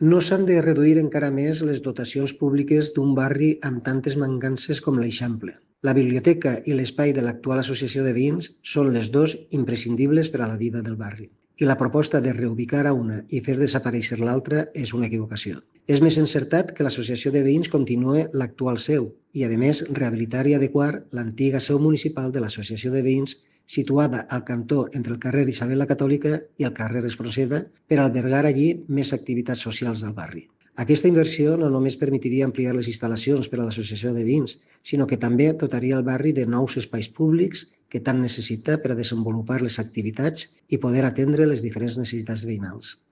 No s'han de reduir encara més les dotacions públiques d'un barri amb tantes mancances com l'Eixample. La biblioteca i l'espai de l'actual associació de veïns són les dos imprescindibles per a la vida del barri. I la proposta de reubicar a una i fer desaparèixer l'altra és una equivocació. És més encertat que l'associació de veïns continue l'actual seu i, a més, rehabilitar i adequar l'antiga seu municipal de l'associació de veïns situada al cantó entre el carrer Isabel la Catòlica i el carrer Espronceda per albergar allí més activitats socials del barri. Aquesta inversió no només permetria ampliar les instal·lacions per a l'associació de veïns, sinó que també dotaria el barri de nous espais públics que tant necessita per a desenvolupar les activitats i poder atendre les diferents necessitats veïnals.